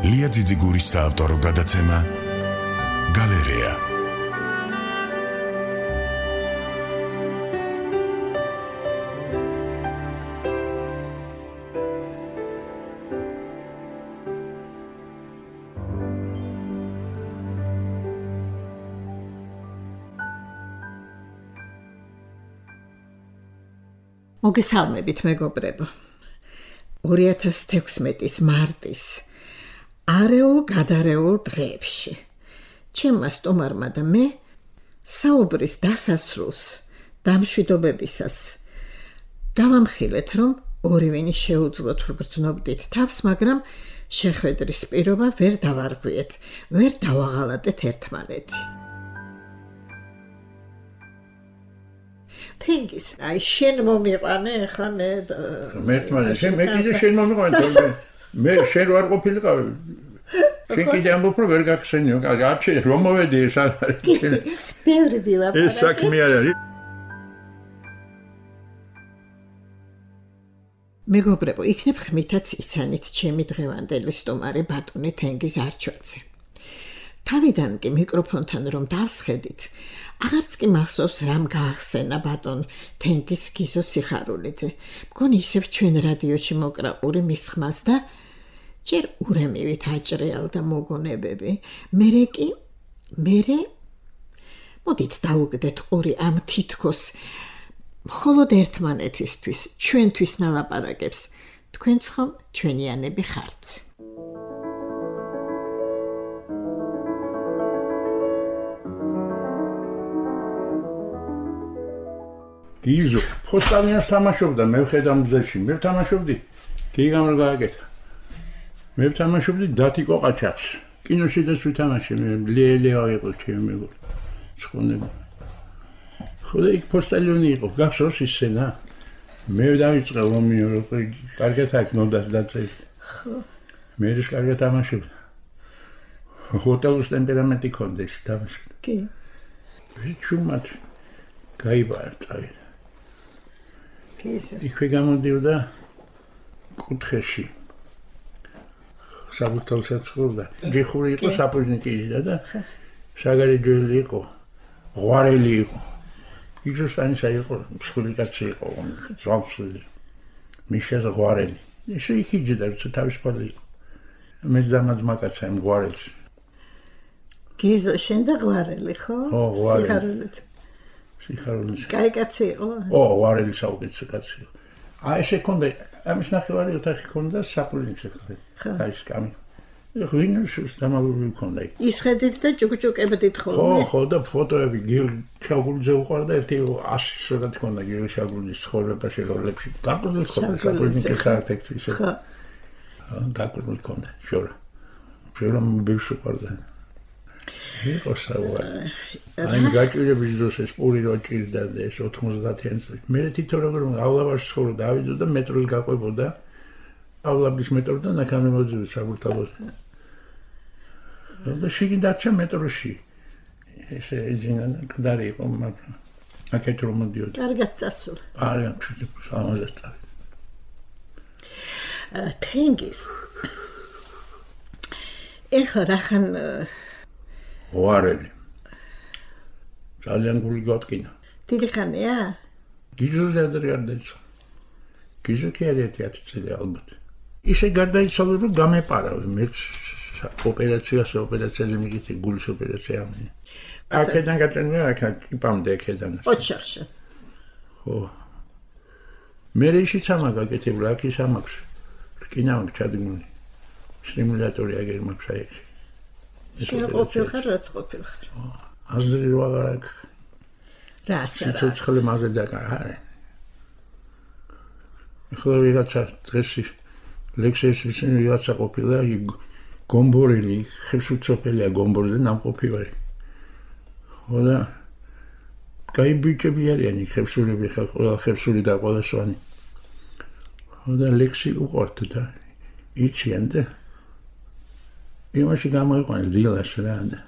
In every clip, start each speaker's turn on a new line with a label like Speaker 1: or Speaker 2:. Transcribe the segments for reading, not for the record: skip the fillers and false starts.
Speaker 1: ლია ძიძიგურის საავტორო გადაცემა გალერეა.
Speaker 2: მოგესალმებით მეგობრებო. 2016 მარტის არეულ-გადარეულ დღეებში ჩემმა სტუმარმა და მე საუბრის დასასრულს დამშვიდობებისას დავამხილეთ, რომ ორივენი შეუძლოთ ვგრძნობდით თავს, მაგრამ შეხვედრის პირობა ვერ დავარღვიეთ, ვერ დავაღალატეთ ერთმანეთი. თენგის, აი შენ მომიყვანე, ახლა მე
Speaker 3: შენ მე კიდე შენ მომიყვანე, მე შენ ვარ ყოფილიყავი. შენ კიდე ამბობ რომ ვერ გახსენიო, არჩე რომ მოვედი ეს არის.
Speaker 2: ბევრი ვილაპარაკე.
Speaker 3: ეს საქმე არ არის.
Speaker 2: მეგობრებო, იქნებ ხმითაც ისანით ჩემი დღევანდელი სტუმარი ბატონი თენგიზ არჩვაძე. თავიდან კი მიკროფონთან რომ დავსხედით, აღარც კი მახსოვს რამ გაახსენა ბატონ თენგიზ გიზო სიხარულიძე. მგონი ისევ ჩვენ რადიოში მოკრაყური მის ხმას და ჯერ ურემივით აჭრეალდა მოგონებები. მერე მოდით დაუგდეთ ყური ამ თითქოს მხოლოდ ერთმანეთისთვის, ჩვენთვის ნალაპარაკებს. თქვენც ხომ ჩვენიანები ხართ.
Speaker 3: გიზო ფოსტალიანს თამაშობდა, მე ვხედავ მზეში, მე ვთამაშობდი. გიგამ რა გააკეთა. მე ვთამაშობდი დათიკო ყაჩაღს. კინოში და ვთამაშე, მე ლელეა იყო ჩემი მეგობრი. ცხონები. ხოლე იქ ფოსტალიონი იყო, გახსოვს ის სცენა? მე დავიწყე რომიო, კარგად აქ ნოდას დაწევი. ხო. მე ის კარგად თამაშობდა. ჰოტელის ტემპერამენტი ქონდა ის თამაშობდა.
Speaker 2: კი.
Speaker 3: ვიჩუმად გაიბარწავი.
Speaker 2: კისე.
Speaker 3: იქვე გამოდიოდა კუთხეში. საბუთალსაც ხურდა. ჯიხური იყო საპოჟნიკი და საგარი ჯველი იყო. ღვარელი იყო. იგზოსტანისა იყო, მსხვილი კაცი იყო, ზავსული. მიშას ღვარელი. ესე იქიჯდა, როცა თავისუფალი იყო. მე ძმაძმა კაცი ამ ღვარელს.
Speaker 2: გიზო შენ და ღვარელი, ხო?
Speaker 3: ო, ღვარელი.
Speaker 2: სიხარულიძე. კაი კაცი იყო?
Speaker 3: ო, ღვარელი საუკეთესო კაცი იყო. აი ესე ქონდა, ამის ნახევარი ოთახი ქონდა საპოჟნიკზე ხარ. აი ეს კამი. ღვინოს დამალული ქონდა იქ.
Speaker 2: ისხედით და ჭუკჭუკებდით ხოლმე?
Speaker 3: ხო, და ფოტოები ჩაგულზე უყარდა ერთი 100 სურათი ქონდა გიორგი შაგულის ცხოვრებაში როლებში. გაყრული ქონდა საპოჟნიკი ხარტექცი ისე. ხო. გაყრული ქონდა, შორა. შორა მბევს უყარდა. იყო საუბარი. აი გაჭირების დროს ეს პური რო ჭირდა და ეს 90-იან წლებში. მე თვითონ როგორ ავლაბაში ცხოვრობდა, დავიდო და მეტროს გაყვებოდა. ავლაბის მეტროდან აქამდე მოდიოდა საბურთალოში. და შიგნით დარჩა მეტროში. ეს ეძინა კდარი იყო, მაგრამ აქეთ რომ მოდიოდა.
Speaker 2: კარგად წასულა.
Speaker 3: კარგად, სამაზესთან.
Speaker 2: თენგიზ. ეხლა რახან
Speaker 3: ღვარელი. ძალიან გული გატკინა.
Speaker 2: დიდი ხანია?
Speaker 3: გიზოზე ადრე არ დაიცვა. გიზო კი არის 10 წელი ალბათ. ისე გარდაიცვალა რომ გამეპარავე მეც ოპერაციაზე მიგიწე გულის ოპერაცია ამი. აქედან გატრენია აქ იპამდე აქედან.
Speaker 2: ოჩახში.
Speaker 3: ხო. მე ისიც ამა გაკეთებულა აქ ის ამაქვს. რკინა აქვს ჩადგმული. სტიმულატორი აგერ მაქვს აი.
Speaker 2: შენ ყოფილხარ, რაც ყოფილხარ.
Speaker 3: აზრი რო აღარ აქვს.
Speaker 2: რა ასე?
Speaker 3: ცოცხლე მაზე დაკარარე. ხო ვიღაცა დღესი ლექსის ისინი ვიღაცა ყოფილა გომბორელი, ხევსურცოფელია გომბორელი ნამყოფი ვარი. ხო და კაი ბიჭები არიან ხევსურები, ყველა ხევსური და ყველა სვანი. ხო და ლექსი უყურთ და იციან და იმაში გამოიყვანეს დილას რა და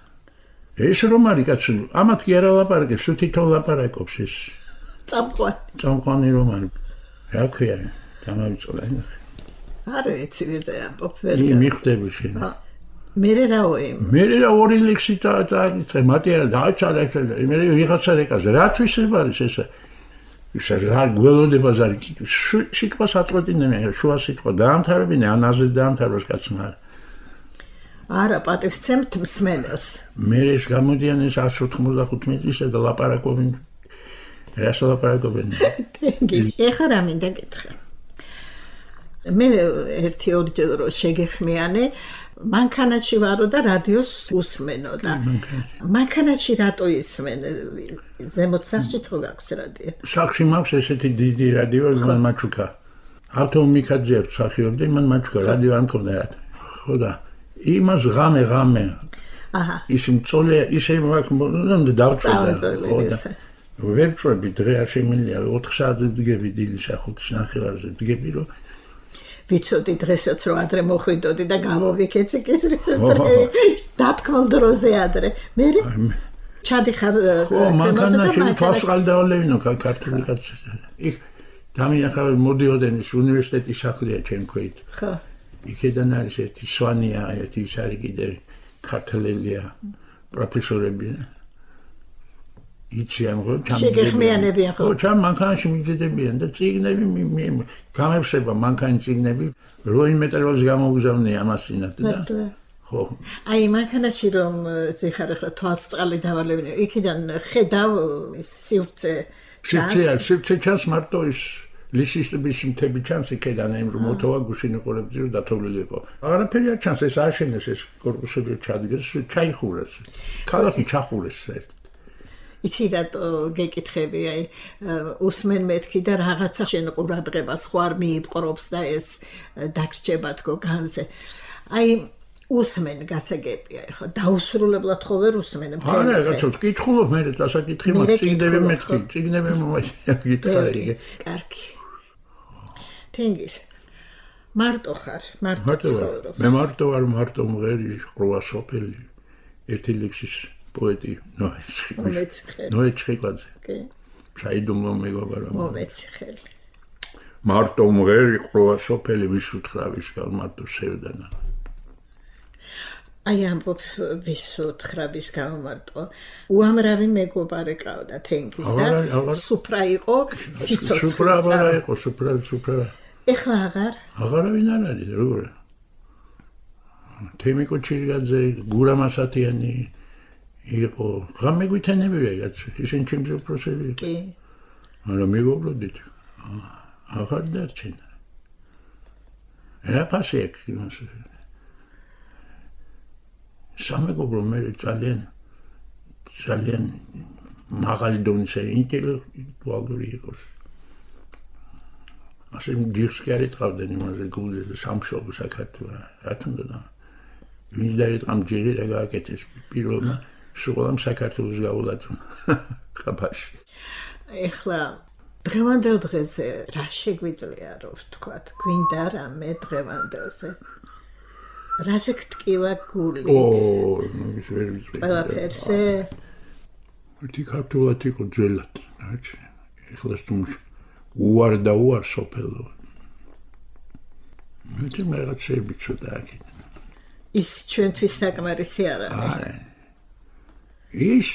Speaker 3: ეს რომ არის კაცო, ამათ კი არა ლაპარაკებს, თვითონ ლაპარაკობს ეს. წამყვანი რომ არის. რა ქვია, დამავიწყდა.
Speaker 2: არ ვიცი ვეზე ამბობ.
Speaker 3: მიხდები შენ.
Speaker 2: მერე რაოი?
Speaker 3: მერე რა ორი ლექსი წააკითხე, მათი არა დააჩარა, მერე ვიღაცა რეკაზე, რათვის არის ესა? ისა რა გველოდება ზარი, სიტყვას აწყვეტინებიან, შუა სიტყვა დაამთავრებინე, ანაზე დაამთავროს კაცმა.
Speaker 2: არა, პატივსცემთ მსმენელს.
Speaker 3: მე ეს გამოდიან ეს 195 წლისა და ლაპარაკობენ. რას ლაპარაკობენ?
Speaker 2: ეხლა რა მინდა გითხრა. მე ერთი ორჯერ რო შეგეხმიანე, მანქანაში ვარო და რადიოს უსმენო და მანქანაში რატო ისმენე? ზემოთ სახში ხო გაქვს რადიო?
Speaker 3: სახში მაქვს ესეთი დიდი რადიო, მან მაჩუკა. ავტო მიქაძიებ სახიობდი, მან მაჩუკა რადიო არ მქონდა რა. ხო და იმას ღამე.
Speaker 2: აჰა.
Speaker 3: ის მწოლე ისე მაქვს დავწვედა. ხო და ვერ წვევი დღე არ შემიძლია 4 საათზე დგები დილის 5-ის ნახევარზე დგები რომ
Speaker 2: ვიცოდი დღესაც რომ ადრე მოხვიდოდი და გამოვიქეციკის დათქმულ დროზე ადრე. მე ჩადიხარ
Speaker 3: ხო მანქანაში თვალსყალ დავალევინო ქართული კაცი. იქ დამიახავე მოდიოდენ ის უნივერსიტეტის სახლია ჩემ ქვით.
Speaker 2: ხო.
Speaker 3: იქედან არის ერთი სვანია, ერთი ის არის კიდე ქართველია პროფესორები. იციან ხო
Speaker 2: შეგეხმიანებიან ხო?
Speaker 3: ხო, ჩამ მანქანაში მიძედებიან და წიგნები გამეფსება მანქანის წიგნები, როიმეტროს გამოგზავნე ამასინათ და ხო.
Speaker 2: აი მანქანაში რომ ზიხარ ახლა თვალსწყალი დავალებინე, იქიდან ხედავ სივრცე.
Speaker 3: სივრცე ჩანს მარტო ის ლისისტების მთები ჩანს იქიდან იმ რომ მოთოვა გუშინ იყურებდი რომ დათოვლილი იყო. არაფერი არ ჩანს, ეს აშენეს ეს კორპუსები ჩადგეს, ჩაიხურეს. ქალაქი ჩახურეს ერთ.
Speaker 2: იცი რატო გეკითხები, აი უსმენ მეთქი და რაღაცა შენ ყურადღებას ხო არ მიიპყრობს და ეს დაგრჩება თქო განზე. აი უსმენ გასაგებია, ხო დაუსრულებლად ხო ვერ უსმენ მთელი.
Speaker 3: არა, კაცო, კითხულობ მე დასაკითხი მაქვს, წიგნები მეთქი, წიგნები მომაჩიკარი.
Speaker 2: კარგი. თენგის. მარტო ხარ, მარტო ცხოვრობ.
Speaker 3: მე მარტო ვარ, მარტო მღერი, ყრუა სოფელი. ერთი ლექსის პოეტი ნოეჩხიკვაძე. კი. ჩაიდუმლო მეგობარო.
Speaker 2: მომეცხელი.
Speaker 3: მარტო მღერი, ყრუა სოფელი, ვის უთხრავის გალ მარტო სევდანა.
Speaker 2: აი ამბობ ვის უთხრავის გალ მარტო. უამრავი მეგობარი ყავდა თენგის და სუფრა იყო სიცოცხლე.
Speaker 3: სუფრა იყო, სუფრა.
Speaker 2: ეხლა
Speaker 3: აღარავინ არ არის, როგორ? თემიკო ჩირგაძე, გურა მასათიანი იყო, ღამე გვითანებია კაცი, ისინი ჩემზე უპროსები იყო.
Speaker 2: კი.
Speaker 3: არა მეგობროდით. აღარ დარჩენა. რა ფასი აქვს იმას? სამეგობრო მე ძალიან მაღალი დონის ინტელექტუალური იყოს. ასე ჯიშს კი არ ეთყავდნენ იმაზე გულზე და სამშობლო საქართველოს. რა თქმა უნდა. ვინც დაეთყამ ჯირი რა გააკეთეს პირველმა სულ საქართველოს გავულატო ხაფაში.
Speaker 2: ეხლა დღევანდელ დღეზე რა შეგვიძლია რომ ვთქვათ, გვინდა რამე დღევანდელზე? რაზე გტკივა გული?
Speaker 3: ის ვერ ვიცი.
Speaker 2: ყველაფერზე?
Speaker 3: ერთი ქართულად იყო ძველად, რაჩი. ეხლა თუმცა უარ და უარ სოფელო. მე რაღაცები ცოტა აქეთ.
Speaker 2: ის ჩვენთვის საკმარისი არ არის.
Speaker 3: არა. ის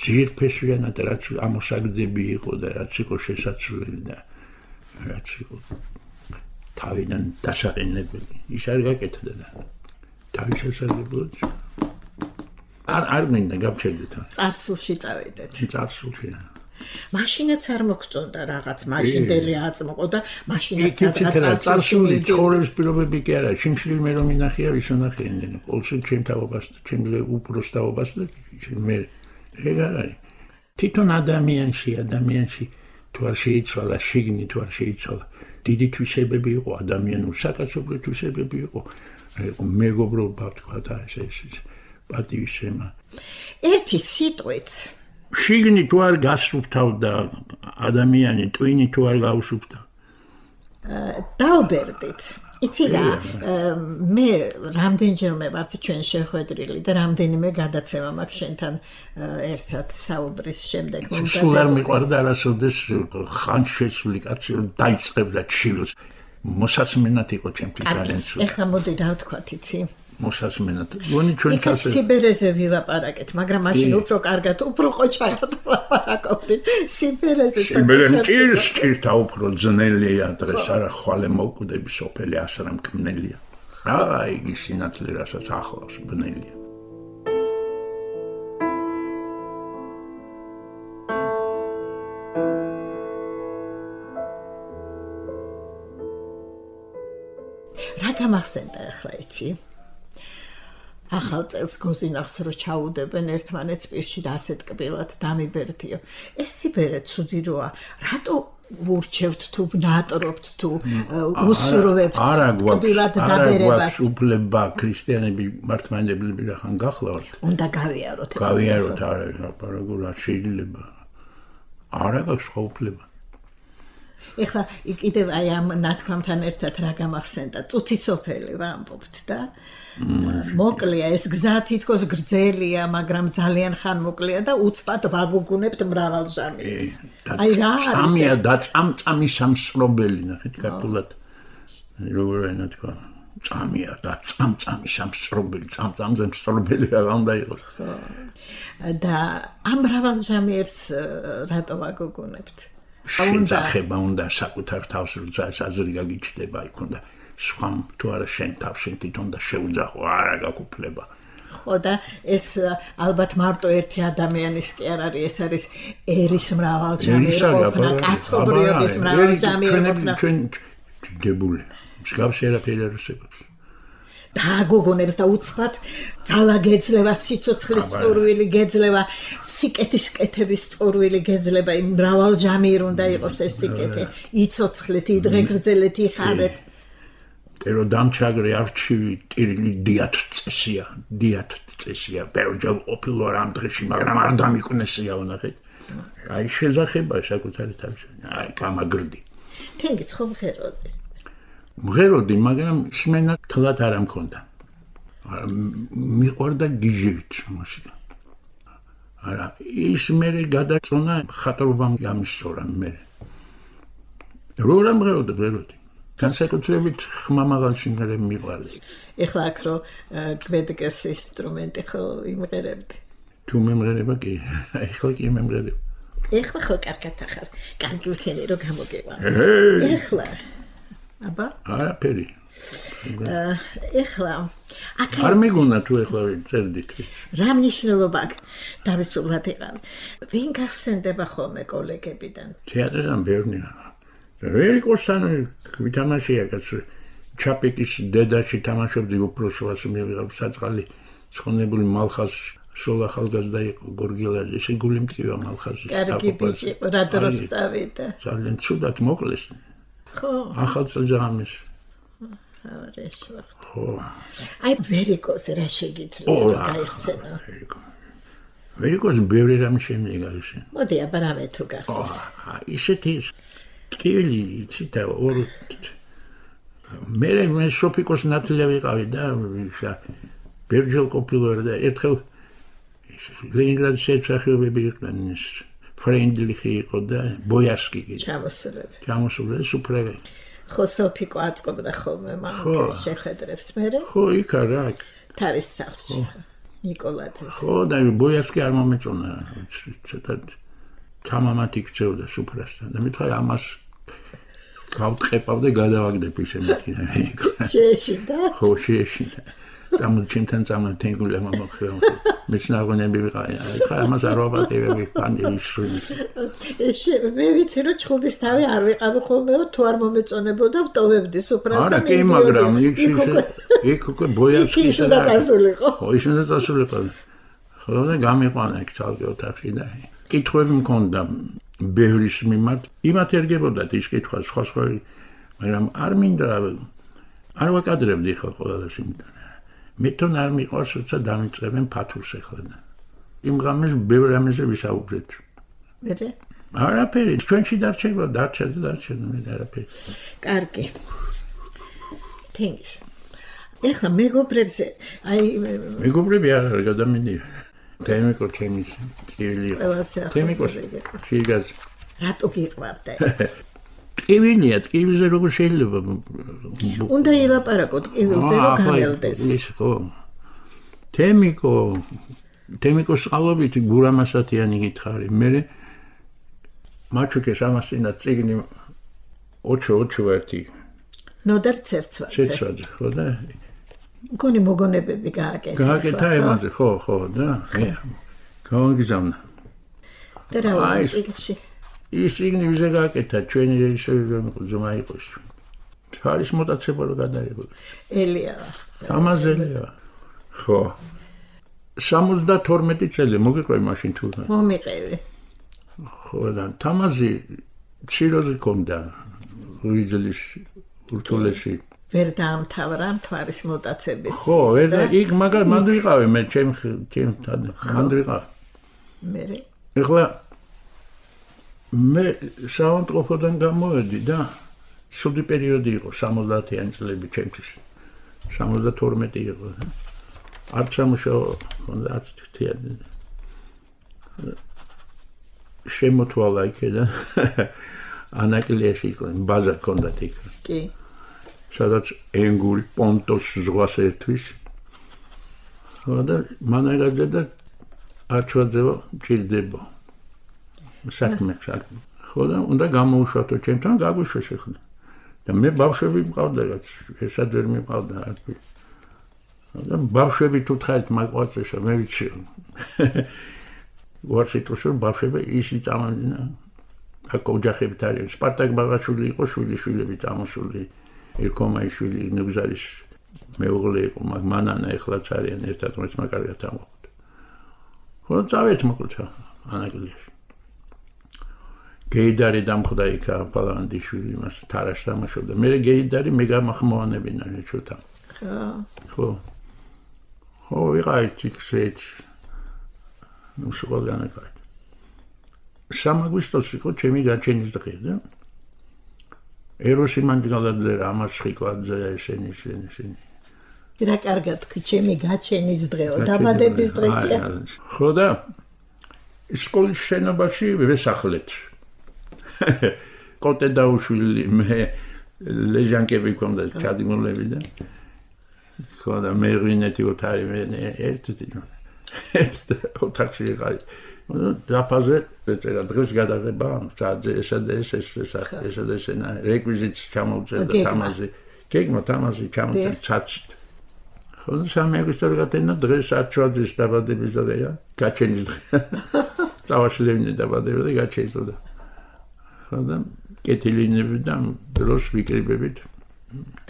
Speaker 3: ძირფესვიანად რაც ამოსაგდები იყო და რაც იყო შესაძლებელი და რაც იყო თავიდან დასაყენებელი. ის არ გაკეთდა და თავის შესაძლებლად არ მინდა გავჩერდეთ.
Speaker 2: წარსულში წავიდეთ.
Speaker 3: წარსულში.
Speaker 2: მაშინაც არ მოგწონდა რაღაც მაშინდელი აწმყო და მაშინაც
Speaker 3: წარსული ცხოვრების პირობები კი არა, შიმშილი მე რომ მინახია ვის ვნახიენ, ყოველთვის ჩემ თავობას, ჩემზე უპროს თავობას და მე ეგ არ არის. თვითონ ადამიანში თუ არ შეიცვალა შიგნი, თუ არ შეიცვალა დიდი თვისებები იყო, ადამიანური საკაცობრიო თვისებები იყო, მეგობრობა თქვა და ეს პატივისცემა. ერთი სიტყვით შიგნი თუ არ გასუფთავდა ადამიანი, ტვინი თუ არ გაუსუფთავდა.
Speaker 2: დაუბერდით. იცი რა, მე რამდენჯერმე ვართ ჩვენ შეხვედრილი და რამდენიმე გადაცემა მაქვს შენთან ერთად საუბრის შემდეგ.
Speaker 3: სულ არ მიყვარდა არასოდეს ხანშესული კაცი დაიწყებდა ჩილოს. მოსასმენად იყო ჩემთვის ძალიან სულ.
Speaker 2: ეხლა მოდი რა ვთქვათ, იცი?
Speaker 3: მოსასმენად. გონი ჩვენ
Speaker 2: იქაც სიბერეზე ვილაპარაკეთ, მაგრამ მაშინ უფრო კარგად, უფრო ყოჩაღად ვილაპარაკობდით. სიბერეზე
Speaker 3: ჭირთა უფრო ძნელია დღეს არა ხვალე მოკვდები სოფელი ასრა მკმნელია. რა იგი სინათლე რასაც ახლავს ბნელია.
Speaker 2: რა გამახსენდა ახლა იცი? ახალ წელს გოზინახს რო ჩაუდებენ ერთმანეთს პირში და ასეთ კბილად დამიბერდიო. ეს სიბერე ცუდი როა. რატო ვურჩევთ თუ ვნატრობთ თუ უსურვებთ კბილად დაბერებას?
Speaker 3: უფლება ქრისტიანები მართლმადიდებლები რახან გახლავთ?
Speaker 2: უნდა გავიაროთ ეს.
Speaker 3: გავიაროთ არა ლაპარაკურა შეიძლება. არა გაქვს უფლება.
Speaker 2: ეხლა კიდევ აი ამ ნათქვამთან ერთად რა გამახსენდა? წუთი სოფელი ვამბობთ და მოკლია ეს გზა თითქოს გრძელია, მაგრამ ძალიან ხან მოკლია და უცბად ვაგუგუნებთ მრავალ ჟამიებს. აი რა არის?
Speaker 3: წამია და წამწამი სამსრობელი ნახეთ ქართულად. როგორ ენა თქვა? წამია და წამწამი სამსრობელი, წამწამზე მსრობელი რა უნდა იყოს.
Speaker 2: და ამ მრავალ ჟამიებს რატო ვაგუგუნებთ?
Speaker 3: შეძახება უნდა საკუთარ თავს როცა აზრი გაგიჩნდება იქ უნდა სხვა თუ არა შენ თავში თვითონ და შეუძახო არა გაკუფლება.
Speaker 2: ხო და ეს ალბათ მარტო ერთი ადამიანის კი არ არის, ეს არის ერის მრავალჯამი ყოფნა, კაცობრიობის მრავალჯამი ყოფნა.
Speaker 3: ჩვენ დებული მსგავსი არაფერი არ არსებობს.
Speaker 2: დააგოგონებს და უცბად ძალა გეძლევა, სიცოცხლის წყურვილი გეძლევა, სიკეთის კეთების წყურვილი გეძლება, იმ მრავალჯამი უნდა იყოს ეს სიკეთე, იცოცხლეთ, იდღეგრძელეთ, იხარეთ.
Speaker 3: ტერო დამჩაგრე არჩივი ტირილი დიათ წესია, ბევრჯერ ყოფილო ამ დღეში, მაგრამ არ დამიკვნესია ვნახეთ. აი შეზახება საკუთარი თავში, აი გამაგრდი.
Speaker 2: თენგის ხომ ხეროდეს.
Speaker 3: მღეროდი, მაგრამ სმენა თლად არ მქონდა. მიყვარდა გიჟივით მუსიკა. არა, ის მერე გადაწონა ხატრობამ გამისწორა მე. როგორ მღეროდი? განსაკუთრებით ხმამაღალ სიმღერებს მიყვარდა.
Speaker 2: ეხლა აქ რო გვედგეს ინსტრუმენტი ხო იმღერებდი.
Speaker 3: თუ მემღერება კი, ეხლა კი მემღერება.
Speaker 2: ეხლა ხო კარგად ახარ. კარგი ვქენი რო გამოგევა. ეხლა აბა?
Speaker 3: არაფერი.
Speaker 2: ეხლა აქ
Speaker 3: არ მეგონა თუ ეხლა წერდით.
Speaker 2: რა მნიშვნელობა აქვს? დავისწავლად იყავ. ვინ გახსენდება ხოლმე კოლეგებიდან?
Speaker 3: თეატრიდან ბევრია. ვერი კოსტანი ვითამაშია კაცო. ჩაპიკის დედაში თამაშობდი უფროსობას მივიღებ საწყალი ცხონებული მალხას სულ ახალგაზრდა იყო გორგილაძე. ესე გული მტკივა მალხაზის.
Speaker 2: კარგი ბიჭი, რა დროს წავიდა?
Speaker 3: ძალიან ცუდად მოკლეს.
Speaker 2: ხო.
Speaker 3: ახალწელზე ამის.
Speaker 2: ხო. აი ვერიკოზე რა შეგიძლია გაიხსენო?
Speaker 3: ვერიკოს ბევრი რამე შემიძლია გაიხსენო.
Speaker 2: მოდი აბა რამე თუ გახსოვს.
Speaker 3: ისეთი ტკივილი იცით ორ მე სოფიკოს ნათლია ვიყავი და ბევრჯერ ყოფილვარ და ერთხელ ლენინგრადის შეცხებები იყვნენ ის ფრენდლიხი იყო და ბოიარსკი კი ჩამოსულები სუპრე
Speaker 2: ხო სოფიკო აწყობდა ხოლმე მამაკაცს შეხედრებს მერე
Speaker 3: ხო იქა რა
Speaker 2: თავის სახლში ნიკოლაძეს
Speaker 3: ხო და ბოიარსკი არ მომეწონა ცოტა თამამათი ქცევდა სუფრასთან და მithara ამას გავტყეპავ და გადავაგდებ ისე მეთქინა
Speaker 2: შეეშინდა
Speaker 3: ხო შეეშინდა წამოჩიმთან წამოთენგულა მომხეო მეცნაგონები ვიყავი ხა ამას არ ვაპატევები პანდიშრული
Speaker 2: მე ვიცი რომ ჩხუბის თავი არ ვიყავი ხოლმეო თუ არ მომეწონებოდა ვტოვებდი სუფრასთან
Speaker 3: არა კი მაგრამ იქ უკვე ბოიარსკის
Speaker 2: და წასულიყო
Speaker 3: ხო ის უნდა წასულიყო ხო და გამიყვანა იქ ცალკე ოთახში და კითხვები მქონდა ბევრის მიმართ იმათ ერგებოდათ ის კითხვა სხვა მაგრამ არ მინდა არ ვაკადრებდი ხო ყველას იმდან მე თვითონ არ მიყვარს როცა დამიწყებენ ფათურს ახლა და იმ ღამეს ბევრ რამეზე ვისაუბრეთ
Speaker 2: მერე
Speaker 3: არაფერი ჩვენში დარჩება მე არაფერი
Speaker 2: კარგი თენგის ეხლა მეგობრებზე აი
Speaker 3: მეგობრები არ არის გადამინდია თემიკო ჩემის ტკივილი თემიკო შიგაც
Speaker 2: რატო გიყვარდა
Speaker 3: ტკივილია, ტკივილზე როგორ შეიძლება?
Speaker 2: უნდა ილაპარაკოთ ტკივილზე, რომ განელდეს.
Speaker 3: ის ხო. თემიკოს ყალობით გურამასათიანი გითხარი. მე მაჩუკეს ამასინა წიგნი ოჩო ერთი.
Speaker 2: ნოდარ ცერცვაძე.
Speaker 3: ხო და
Speaker 2: მგონი მოგონებები გააკეთა.
Speaker 3: გააკეთა ემაზე, ხო და გავაგზავნა.
Speaker 2: და რა ვარ წიგნში?
Speaker 3: ის წიგნი ვიზე გააკეთა, ჩვენი რეჟისორი ზომა იყოს. არის მოტაცება რომ გადაიღო.
Speaker 2: ელია.
Speaker 3: თამაზელია. ხო. 72 წელი მოგიყვე მაშინ თუ.
Speaker 2: მომიყევი.
Speaker 3: ხო და თამაზი ციროზე კონდა ვიძლის ურთულესი.
Speaker 2: ვერ დაამთავრა მთვარის მოტაცების.
Speaker 3: ხო, ვერ იქ მაგარ მანდ ვიყავე მე ჩემ მანდ ვიყავ.
Speaker 2: მე
Speaker 3: ეხლა მე საავადმყოფოდან გამოვედი და სუდი პერიოდი იყო 70-იანი წლები ჩემთვის. 72 იყო. არც სამუშაო ხონდა, არც თითიანი. შემოთვალა იქიდან ანაკლიაში იყო ბაზა ჰქონდათ იქ.
Speaker 2: კი.
Speaker 3: სადაც ენგური პონტოს ზღვას ერთვის. და მანაგაძე და არჩვაძევა ჭირდება. საქმე. ხო და უნდა გამოუშვათო ჩემთან, გაგვიშვეს ახლა. და მე ბავშვები მყავდა რაც, ერთად ვერ მიყავდა არაფერი. და ბავშვები თუ თხარით მაყვაწეშა, მე ვიცი. ვარშიტოში ბავშვები ისიც ამამდინა. აქ ოჯახებით არის. სპარტაკ ბაღაშვილი იყო, შვილიშვილები წამოსული. ერქომაიშვილი ნუგზარის მეუღლე იყო, მანანა ეხლაც არიან ერთად, რომელიც მაგარად ამოხდა. ხო, წავით მოკლედ ანაკლიაში. გეიდარი დამხდა იქა პალანდიშვილი მას თარაშ თამაშობდა. მე გეიდარი მე გამახმოვანებინა ჩოთა. ხო. ხო, ვიყავით იქ ნუ შეგალანა კარ. 3 აგვისტოში იყო ჩემი გაჩენის დღე და ეროსი მანჯგალაძე ამას ხიკვაძე ესენი.
Speaker 2: რა კარგად თქვი, ჩემი გაჩენის დღეო, დაბადების დღე კი.
Speaker 3: ხო და სკოლის შენობაში ვესახლეთ. კოტე დაუშვილი მე ლეჟანკები ქონდა ჩადიმოლები და ხო და მე რინეთი ოთარი მე ერთით ოთახში ვიყავი. დაფაზე ეწერა დღეს გადაღება საათზე ესენა რეკვიზიტს ჩამოვწერდა თამაზი. გეგმა თამაზი ჩამოვწერდა ცაცით. ხო და 3 აგვისტოში გატენა დღეს არჩვაძის დაბადების დღეა, გაჩენის დღე. წავაშლევინე დაბადება და გაჩენის დღე. ხო და კეთილინები და დროს ვიკრიბებით.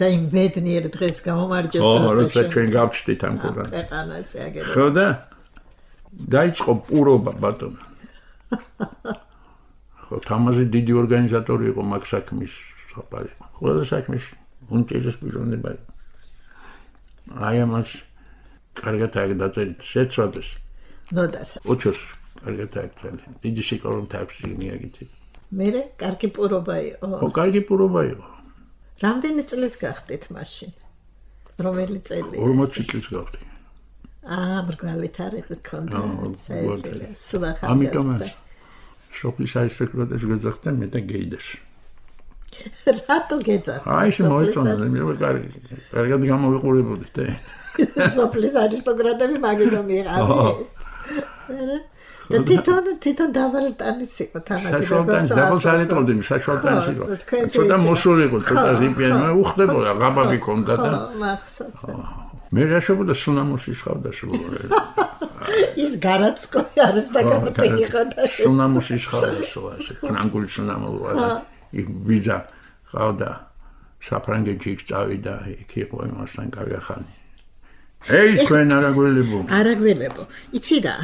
Speaker 2: და იმ ბედნიერ დღეს გამომარჯოს
Speaker 3: ასე. ხო, როცა ჩვენ გავჩდით ამ კოდან.
Speaker 2: ქვეყანაზე აგერო.
Speaker 3: ხო და დაიწყო პურობა ბატონო. ხო, თამაზი დიდი ორგანიზატორი იყო მაგ საქმის საფარი. ყველა საქმეში უნჭერის პიროვნება. აი ამას კარგად დაწერით შეცვალეს.
Speaker 2: ნოდას.
Speaker 3: ოჩოს კარგად დაწერეთ. დიდი სიყვარული აქვს მიაგითი.
Speaker 2: მე კარგი პურობა იყო.
Speaker 3: ხო, კარგი პურობა იყო.
Speaker 2: რამდენი წლის გახდით მაშინ? რომელი წელი?
Speaker 3: 40 წლის გავხდი.
Speaker 2: მრგვალი თარიღი ქონდა.
Speaker 3: ამიტომ სოფლის არისტოკრატებს გეძახდნენ მე და გეიდას.
Speaker 2: რატო გეძახდნენ?
Speaker 3: აი ეს მოიწონა, მე კარგად გამოვიყურებოდით.
Speaker 2: სოფლის არისტოკრატები მაგითო მიყავდნენ. და თვითონ დავალტანის იყო თამაში.
Speaker 3: საშუალტანის დაბალს არ ეტყობდი, საშუალტანის იყო. ცოტა მოსული იყო, ცოტა ზიპიანი, მე უხდებოდა, ღაბავი ქონდა და. მე რა შეგვიდა სუნამოში შხავდა სულ.
Speaker 2: ის გარაცკოი არის და გამოტეხოდა.
Speaker 3: სუნამოში შხავდა სულ, ასე კრანგული სუნამო ვარ. იქ ვიზა ყავდა. საფრანგეთში იქ წავიდა, იქ იყო იმასთან კავი ახალი. ეი, თქვენ
Speaker 2: არაგველებო. იცი რა?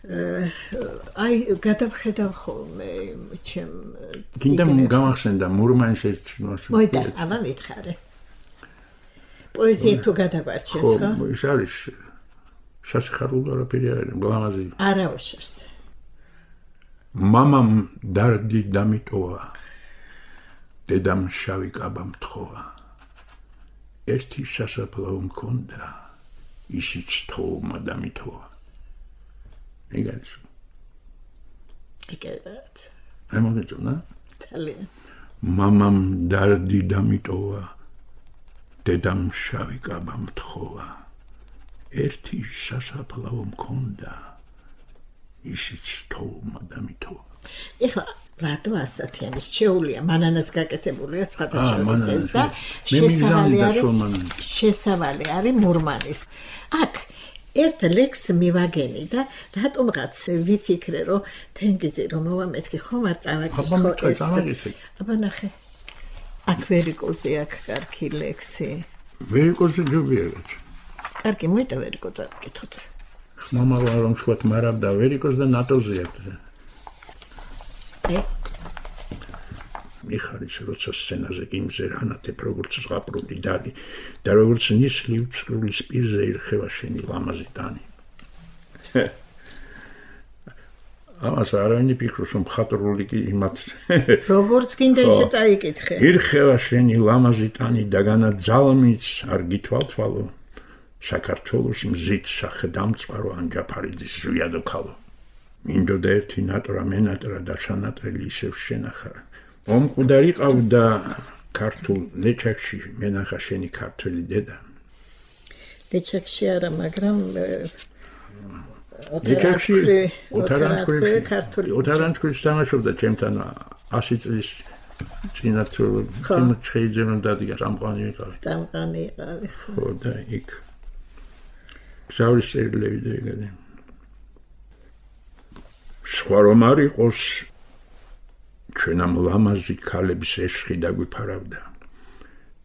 Speaker 2: აი გადავხედავ ხოლმე ჩემ
Speaker 3: გინდა გამახსენდა მურმანსის
Speaker 2: მოიდა ამა მითხარე პოეზია თუ გადავარჩეს ხო?
Speaker 3: ხო ის არის სასიხარულო რაფერი არის გლამაზი
Speaker 2: არა უშერს
Speaker 3: მამამ დარდი დამიტოვა დედამ შავი კაბა მთხოვა ერთი სასაფლაო მქონდა ისიც თომა დამიტოვა ეგარს ეგარად ამოგეწონა ძალიან მამამ დარდი დამიტოვა დედამ შავი კაბა მთხოვა ერთი სასაფლაო მქონდა ისიც თოვლმა დამიტოვა
Speaker 2: ეხლა რატო ასათიანის შეუულია მანანას გაკეთებულია სხვადასხვა ეს და შესავალი არის მურმანის აქ ერთ ლექს მივაგენი და რატომღაც ვიფიქრე რომ თენგიზი რომ მოვამეთქი ხომ არ წავაკითხო ეს აბა ნახე აქ ვერიკოზე აქ კარგი ლექსი
Speaker 3: ვერიკოზე ჯობიერად
Speaker 2: კარგი მოიტა ვერიკოზე გითხოთ
Speaker 3: მამა რომ თქვათ მარაბდა ვერიკოზ და ნატოზე აქ მიხარის როცა სცენაზე იმზე რანათებ როგორც ზღაპრული დალი და როგორც ნისლი უცრულის პირზე ირხევა შენი ლამაზი ტანი ამას არავინ ფიქრობს რომ მხატვრული კი იმათ
Speaker 2: როგორც გინდა ისე წაიკითხე
Speaker 3: ირხევა შენი ლამაზი ტანი და განა ძალმიც არ გითვალთვალო საქართველოს მზით სახელდამწვარო ანჯაფარიძის ზვიადო ქალო მინდოდა ერთი ნატრა მენატრა და შანატრელი ისევ შენახა ომკვდარი ყავდა ქართულ ლეჩაკში მენახა შენი ქართველი დედა
Speaker 2: ლეჩაკში არა მაგრამ
Speaker 3: ლეჩაკში ოთარანთქვრის თამაშობდა ჩემთან 100 წლის წინა თუ შეიძლება დადგა წამყვანი ვიყავი ხო და იქ გზავრის წერილები დაიგადე სხვა რომ არ იყოს ჩვენამ ლამაზი ქალების ეშხი დაგვიფარავდა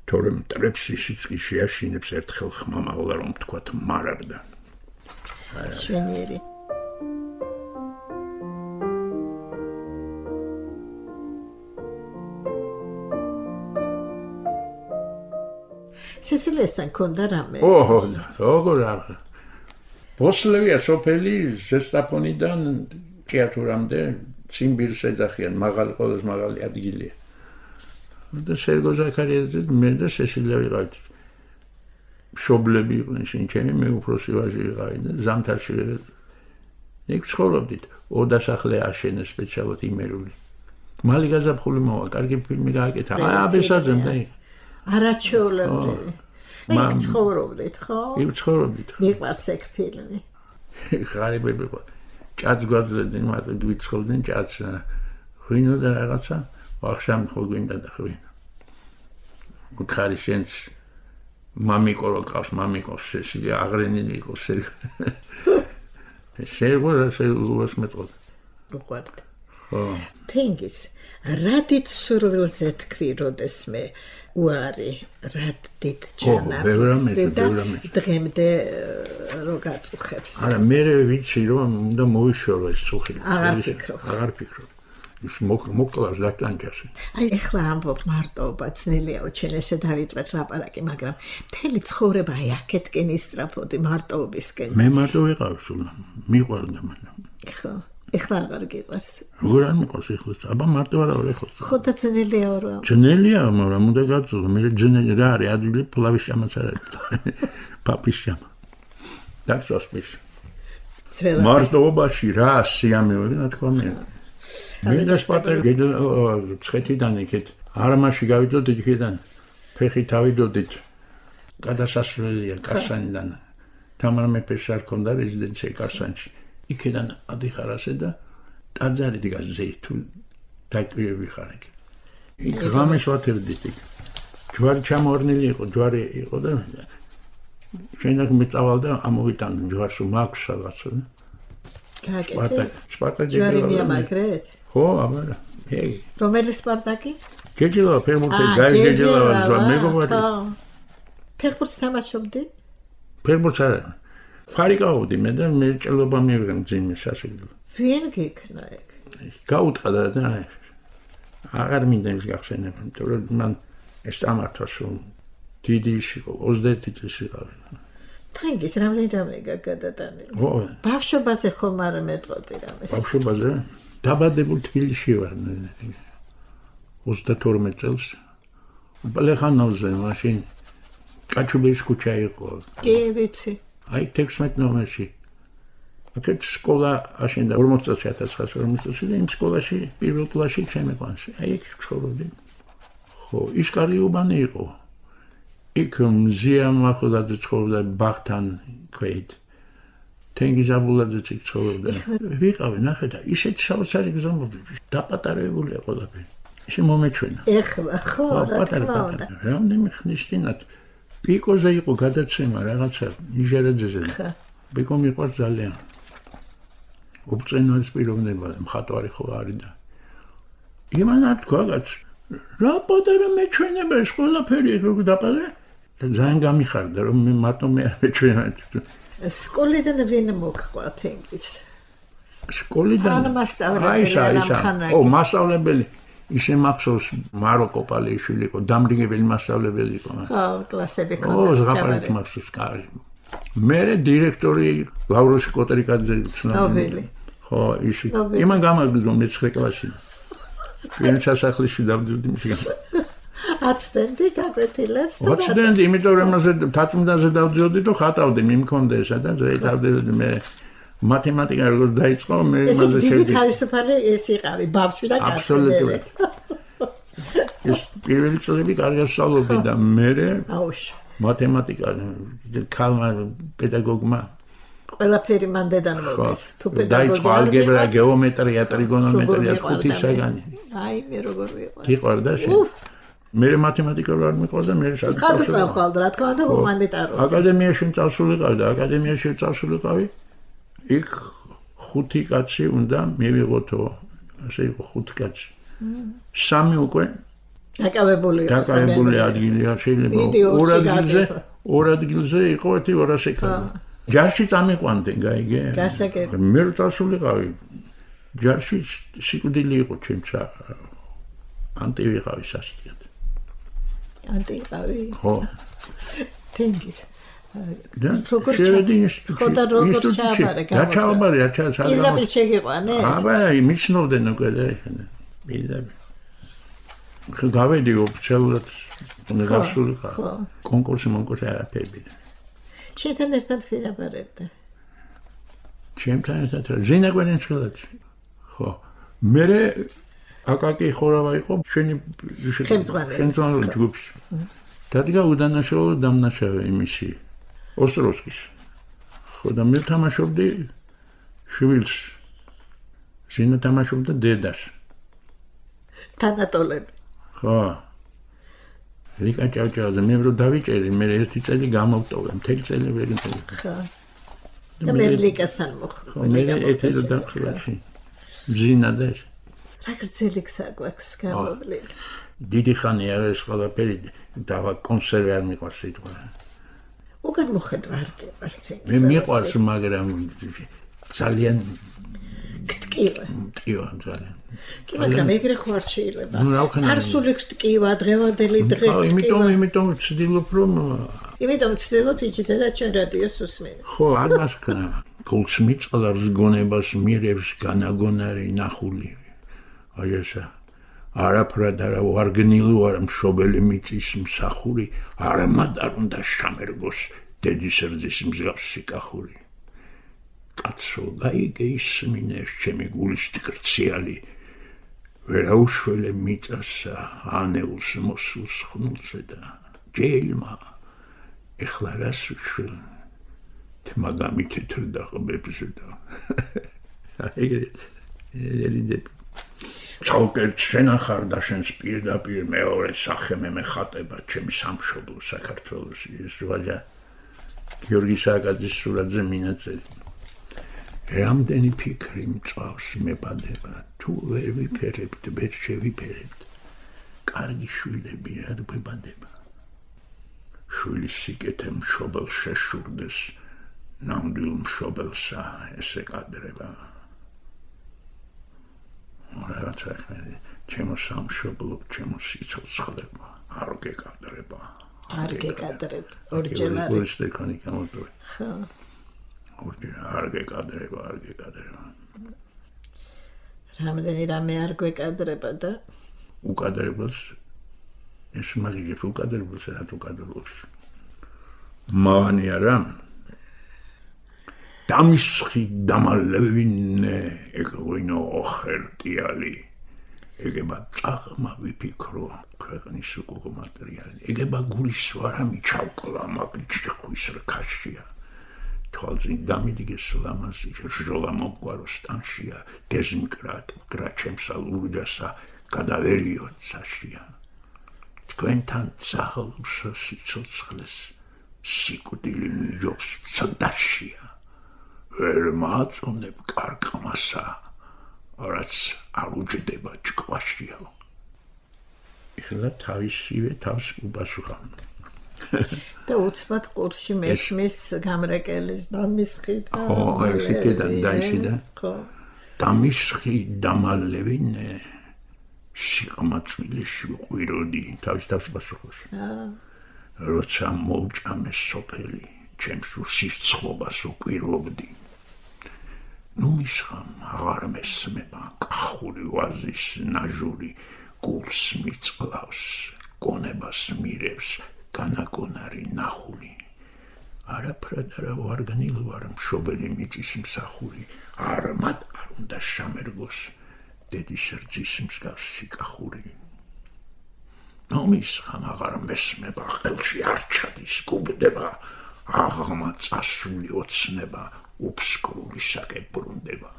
Speaker 3: თორემ მტრებს ისიც კი შეაშინებს ერთხელ ხმამაღლა რომ თქვათ მარაბდა
Speaker 2: შვენიერი სესილესთან ქონდა რამე
Speaker 3: ოჰო როგორ არ ბოსლევია სოფელი ზესტაფონიდან ჭიათურამდე ციმბირს ეძახიან მაღალი ყოველს მაღალი ადგილია და სერგო ზაქარიაძე მე და სესილია ვიყავით მშობლები იყვნენ შენ ჩემი მე უფროსი ვაჟი ვიყავი და ზამთარში იქ ცხოვრობდით ოდასახლე აშენეს სპეციალურად იმერული მალი გაზაფხული მოვა კარგი ფილმი გააკეთა აბესაძემ და იქ
Speaker 2: არაჩვეულებრივი იქ ცხოვრობდით ხო?
Speaker 3: იქ ცხოვრობდით
Speaker 2: მიყვარს ეგ ფილმი
Speaker 3: ღარიბები ყო ჭაც გვაძლევდნენ მარტო გვიცხოვდნენ ჭაც ღვინო და რაღაცა ვახშამ ხო გვინდა და ღვინო უთხარი შენს მამიკო რო ყავს მამიკოს სესილი აღრენილი იყო სერგო რას მეტყოდ
Speaker 2: უყვართ ხო თენგიზ რადით სურვილზე თქვი როდესმე უარი რადით ჯანმრთელზე და დღემდე რო გაწუხებს
Speaker 3: არა მე ვიცი რომ უნდა მოვიშორო ეს წუხი
Speaker 2: აღარ
Speaker 3: ფიქრობ ის მოკლავს დაკანჯას
Speaker 2: აი ეხლა ამბობ მარტოობა ძნელია ჩვენ ესე დავიწყეთ ლაპარაკი მაგრამ მთელი ცხოვრება აი აქეთკენ ისწრაფოდი მარტოობისკენ
Speaker 3: მე მარტო ვიყავ სულ მიყვარდა მაგრამ
Speaker 2: ხო ეხლა აღარ გიყვარს
Speaker 3: როგორ არ მიყვარს ეხლა აბა მარტო არა ვარ ეხლა
Speaker 2: ხო და ძნელია რა
Speaker 3: ძნელია მაგრამ უნდა გაწოდო მე ძნელი რა არის ადვილი ფლავის შამაც არ არის პაპის შამა დაგსვასპის მარტოობაში რა სიამოვნებაა რა თქმა უნდა მე და სპარტაკი ცხეთიდან იქეთ არამაში გავიდოდით იქიდან ფეხი თავიდოდით გადასასვლელია კარსანიდან თამარ მეფეს არ ქონდა რეზიდენცია კარსანში იქიდან ადიხარასე და ტაძარი დგას ზეითუ დაკვირები ხარ იქ იქ ღამეს ვათერდით იქ ჯვარი ჩამორნილი იყო ჯვარი იყო და შეიძლება მეწავალდა ამოვიტან ჯვარს მაქვს რაღაცა სპარტაკი
Speaker 2: ჯვარი მიამაგრეთ
Speaker 3: ხო აბა ეგ
Speaker 2: რომელი სპარტაკი
Speaker 3: გეჯილა ფერმურტე გაიგეჯილა მეგობარი
Speaker 2: ფეხბურთს თამაშობდი
Speaker 3: ფეხბურთს არა ფარიკაუდი მე და მე ჭელობა მივიღე ძიმე სასიკვდილო
Speaker 2: ვინ გიქნა ეგ
Speaker 3: გაუტყდა და აღარ მინდა ის გახსენება იმიტომ რომ მან ეს ამართვას რომ დიდი იყო 21 წლის ვიყავი
Speaker 2: თენგიზ რამდენი გადატანილი ხო ბავშვობაზე ხომ არ მეტყოდი რამეს
Speaker 3: ბავშვობაზე დაბადებულ თბილისში ვარ 32 წელს ბალეხანოვზე მაშინ კაჩუბერის ქუჩა იყო
Speaker 2: კი ვიცი
Speaker 3: აი 16 ნომერში აქეთ სკოლა აშენდა 40 წელს 1940 წელს და იმ სკოლაში პირველ კლასში ჩემი კლასში აი იქ ცხოვრობდი ხო, ის კარგი უბანი იყო. იქ მზია მახვილაძე ცხოვრობდა ბაღთან ქვით. თენგიზ აბულაძეც იქ ცხოვრობდა. ვიყავი, ნახე და ისეთი საოცარი გზნობები, დაპატარებულია ყველაფერი. ისე მომეჩვენა.
Speaker 2: ეხლა ხო, რა თქმა უნდა.
Speaker 3: რამდენი ხნის წინათ პიკოზე იყო გადაცემა რაღაცა ნიჟერაძეზე. პიკო მიყვარს ძალიან. უბწენოების პიროვნება მხატვარი ხო არის და იმანა თქვაც რა პატარა მეჩვენება ეს ყველაფერი როგორ დაპატარა და ძალიან გამიხარდა რომ მე მარტო მე არ მეჩვენა.
Speaker 2: სკოლიდან ვინ მოგყვა თენგიზ?
Speaker 3: სკოლიდან მასწავლებელი ისე მახსოვს მაროკო პალეიშვილი იყო დამრიგებელი მასწავლებელი იყო.
Speaker 2: ხო, კლასები
Speaker 3: ხო, ზღაპარით მახსოვს კარი. მე დირექტორი ლავროშ კოტრიკაძე
Speaker 2: ცნობილი.
Speaker 3: ხო, ის იმან გამაგდო მე-9 კლასში. პირველ სასახლეში დავდივდი მის.
Speaker 2: აცდენდი გაკვეთილებს?
Speaker 3: აცდენდი, იმიტომ რომ მასე თათმდანზე დავდიოდი და ხატავდი, მიმქონდა ესა და ზეითავდი მე მათემატიკა როგორ დაიწყო, მე მასე
Speaker 2: შევდი. დიდი თავისუფალი ეს იყავი, ბავშვი და კაცი.
Speaker 3: ეს პირველი წლები კარგად სწავლობდი და მე
Speaker 2: აუშ.
Speaker 3: მათემატიკა ქალმა პედაგოგმა
Speaker 2: ყველაფერი მან დედან მოგეს. თუ პედაგოგი
Speaker 3: დაიწყო ალგებრა, გეომეტრია, ტრიგონომეტრია, ხუთისაგანი.
Speaker 2: აი მე როგორ ვიყავ.
Speaker 3: გიყვარდა შენ? მე მათემატიკა არ მიყვარდა, მე
Speaker 2: სადაც წავხვალ რა თქმა უნდა ჰუმანიტარული.
Speaker 3: აკადემიაში წავსულიყავი და აკადემიაში წავსულიყავი. იქ 5 კაცი უნდა მივიღოთო, ასე იყო 5 კაცი. 3 უკვე
Speaker 2: დაკავებული
Speaker 3: ადგილია შეიძლება ორ ადგილზე იყო ერთი 200 კაცი. ჯარში წამიყვანდნენ, გაიგე?
Speaker 2: გასაგები.
Speaker 3: მე წავსულიყავი. ჯარში სიკვდილი იყო ჩემცა. ანტი ვიყავი სასტიკად.
Speaker 2: ანტი ვიყავი?
Speaker 3: ხო.
Speaker 2: თენგიზ.
Speaker 3: როგორ
Speaker 2: როგორ ჩააბარე
Speaker 3: რა ჩააბარე რა ჩააბარე
Speaker 2: პირდაპირ შეგიყვანე
Speaker 3: აბა მიცნობდნენ უკვე და ეხლა პირდაპირ გავედი ოფიციალურად უნივერსიტეტში კონკურსი არაფერი
Speaker 2: შეთან ერთად ვიაბარებდა
Speaker 3: ჩემთან ერთად ზინა გვენეშვილაძე ხო მე აკაკი ხორავა იყო შენი ხელმძღვანელი ჯგუფში დადგა უდანაშაულო დამნაშავე იმისი ოსტროვსკის. ხო და მე თამაშობდი შვილს. ზინა თამაშობდა დედას.
Speaker 2: თანატოლები.
Speaker 3: ხო. რიკა ჭავჭავაძე მე რო დავიჭერი, მე ერთი წელი გამოვტოვე, მთელი წელი ვერ გიწევი.
Speaker 2: ხო. და მე რიკასთან მოხდა.
Speaker 3: ხო, მე ერთი რო დავხილაში. ზინა და
Speaker 2: რა გრძელი გზა გვაქვს გამოვლილი.
Speaker 3: დიდი ხანი არა ეს ყველაფერი და კონსერვი არ მიყვარს სიტყვა.
Speaker 2: უკან მოხედვა არ გიყვარს ეს.
Speaker 3: მე მიყვარს, მაგრამ ძალიან
Speaker 2: გტკივა.
Speaker 3: გტკივა ძალიან.
Speaker 2: კი, მაგრამ ეგრე ხო არ შეიძლება. წარსული გტკივა, დღევანდელი დღე გტკივა.
Speaker 3: იმიტომ ვცდილობ რომ
Speaker 2: იმიტომ ვცდილობ იჭიდე და ჩვენ რადიოს უსმენთ.
Speaker 3: ხო, არ მასკნა. გულს მიწყლავს გონებას მირევს განაგონარი ნახული. აი ესა. არაფრად არა ვარგნილი ვარ მშობელი მიწის მსახური არამად არ უნდა შამერგოს დედის რძის მსგავსი კახური კაცო გაიგე ისმინე ჩემი გულის ტკრციალი ვერაუშველე მიწასა ანეულს მოსულს ხნულზე და ჯელმა ეხლა რას უშველ თმაგამი თეთრდა ყბებზე და ეგრე ცალკე შენახარ და შენს პირდაპირ მეორე სახე მე ხატება ჩემი სამშობლო საქართველოს ის ვაჟა გიორგი სააკაძის სურათზე მინაწერი რამდენი ფიქრი მწავს მებადება თუ ვერ ვიფერებთ ვერ შევიფერებთ კარგი შვილები არ გვებადება შვილის სიკეთე მშობელს შეშურდეს ნამდვილ მშობელსა ესე კადრება რაღაცა ჩემო სამშობლო ჩემო სიცოცხლება არ გეკადრება
Speaker 2: არ გეკადრებ ორჯერ არის
Speaker 3: ტექნიკა მოწვე ხო ორჯერ არ გეკადრება
Speaker 2: რამდენი რამე არ გვეკადრება და
Speaker 3: უკადრებელს ეს მაგიებს უკადრებელს რა თუ კადრობს მოვანი არა დამისხი დამალევინე ეკღვინო ოხერტიალი ეგება წაღმა ვიფიქრო ქვეყნის უკუღო მატერიალი ეგება გულის ვარამი ჩავკლა მაგ ჯიხვის რქაშია თვალწინ დამიდიგეს ლამაზი ჟოლა მოგვარო სტანშია დეზმკრატ გრაჩემსა ლურჯასა გადავერიო ცაშია თქვენთან წაღლუსა სიცოცხლეს სიკვდილი მიჯობს ცდაშია ვერ მაწონებ კარკმასა რაც არ უჯდება ჭკვაშია ეხლა თავისივე თავს უპასუხავ
Speaker 2: და უცბად ყურში მესმის გამრეკელის დამისხი და
Speaker 3: ხო ესეთიდან დაიშიდა ხო დამისხი დამალევინე სიყმაწვილეში ვყვიროდი თავის პასუხობს როცა მოვჭამე სოფელი ჩემს სიცხოვას ვკვირვობდი ნუ მისხამ აღარ მესმება კახური ვაზის ნაჟური გულს მიწყლავს გონებას მირევს განაგონარი ნახული არაფრად არა ვარგანილ ვარ მშობელი მიწის მსახური არამად არ უნდა შემერგოს დედის რძის მსგავსი კახური ნუ მისხამ აღარ მესმება ხელში არ ჩადის გუბდება აღმა წასული ოცნება უბსკრული საკებრუნდება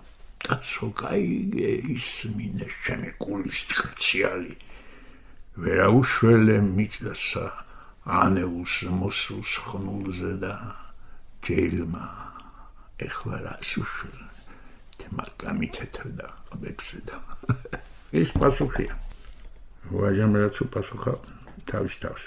Speaker 3: კაცო გაიგე ისმინე ჩემი გულის ტრციალი ვერაუშველე მიწასა ანეულს მოსულს ხნულზე და ჯეილმა ეხლა რას უშველე თმაკამი თეთრდა ყბებზე და ის პასუხია ვაჟამ რაც უპასუხა თავის თავს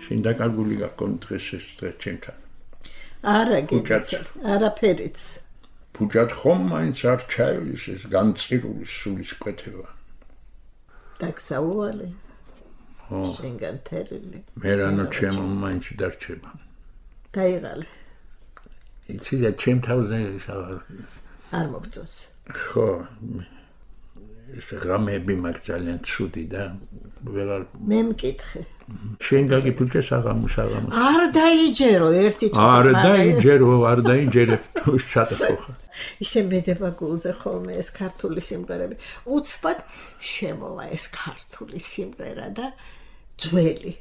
Speaker 3: შენ დაკარგული გაქონდ დღეს ეს დღე ჩემთან
Speaker 2: არა გიჩა არაფერიც
Speaker 3: ფუჭად ხომ მაინც არ ჩაივლის ეს განწირული სულის კვეთება
Speaker 2: დაგსაუვალე შენგან თერილი
Speaker 3: მე რანო ჩემო მაინც დარჩება
Speaker 2: დაიღალე
Speaker 3: იცი და ჩემ თავზე
Speaker 2: არ მოგწონს
Speaker 3: ხო ეს ღამეები მაგ ძალიან ცუდი და ვეღარ
Speaker 2: მე მკითხე
Speaker 3: შენ გაგიფუჭეს აღამოს
Speaker 2: არ დაიჯერო ერთი წუთი
Speaker 3: არ დაიჯერებ სატახო
Speaker 2: ისე მედება გულზე ხოლმე ეს ქართული სიმღერები უცბად შემოვა ეს ქართული სიმღერა და ძველი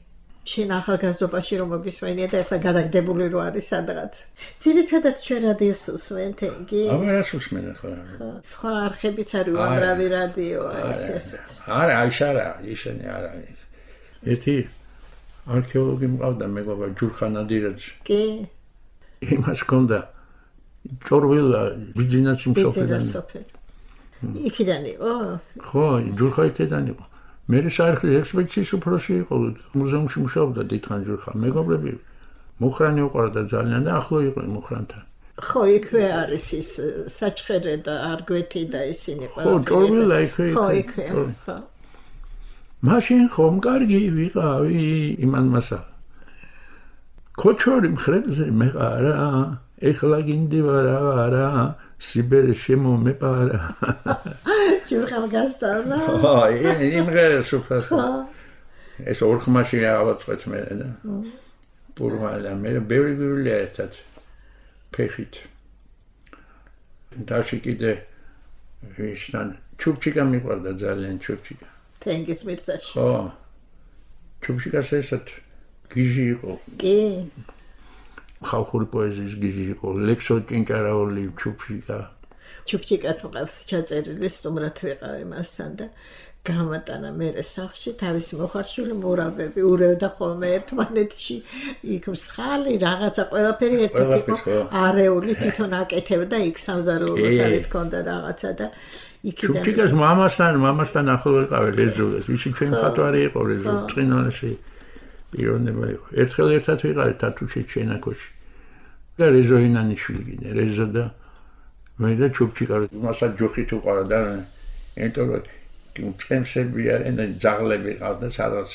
Speaker 2: შენ ახალგაზრდობაში რომ მოგისმენია და ახლა გადაგდებული რო არის სადღაც ძირითადად ჩვენ რადიოს უსმენ თენგი
Speaker 3: ამას უსმენ ახლა
Speaker 2: სხვა არხებიც არის უამრავი რადიოა ესეთ
Speaker 3: არა ისინი არა ერთი არქეოლოგი მყავდა მეგობარ ჯურხან ადირაძე
Speaker 2: კი
Speaker 3: იმას ჰქონდა ჭორვილა ბიძინას
Speaker 2: მსოფლიდან იქიდან იყო
Speaker 3: ხო ჯურხა იქიდან იყო მე საერთოდ ექსპედიციის უფროსი იყო მუზეუმში მუშაობდა დიდხანს ჯურხა მეგობრები მუხრანი უყურდა ძალიან და ახლო იყო მუხრანთან
Speaker 2: ხო იქვე არის ის საჩხერე და არგვეთი და ისინი
Speaker 3: ხო ჭორვილა იქვე
Speaker 2: ხო იქვე ხო
Speaker 3: მაშინ ხომ კარგი ვიყავი იმან მასა ქოჩორი მხრებზე მეყარა ეხლა გინდი ვარა სიბერე შემომეპარა
Speaker 2: ჯურხამ გასწავლა
Speaker 3: ხო იმღერეს უფასო ეს ორხმაში ავაწყვეთ მე და პურმალა მე ბევრი ერთად ფეხით დაში კიდე ვისთან ჩუბჩიკა მიყვარდა ძალიან ჩუბჩიკა
Speaker 2: თენგის მირსაში
Speaker 3: ხო ჩუბჩიკას ესეთ გიჟი იყო
Speaker 2: კი
Speaker 3: ხალხური პოეზიის გიჟი იყო ლექსო ჭინჭარაული ჩუბჩიკაც
Speaker 2: მყავს ჩაწერილი სტუმრად ვიყავი მასთან და გამატანა მერე სახლში თავისი მოხარშული მორავები ურევდა ხოლმე ერთმანეთში იქ მსხალი რაღაცა ყველაფერი ერთად იყო არეული თვითონ აკეთებდა იქ სამზარეულოსარი თქონდა რაღაცა და იქიდან
Speaker 3: ჩუბჩიკას მამასთან ახლო ვიყავი რეზოლეს ვისი ჩვენ ხატვარი იყო რეზო წინვალში პიროვნება იყო ერთხელ ერთად ვიყავი თათუში ჩენაკოში და რეზოინანიშვილი კიდე რეზო და მე და ჩუბჩიკა მასაც ჯოხით უყარა და ენტორო წემსები არიან ძაღლები ყავდა სადაც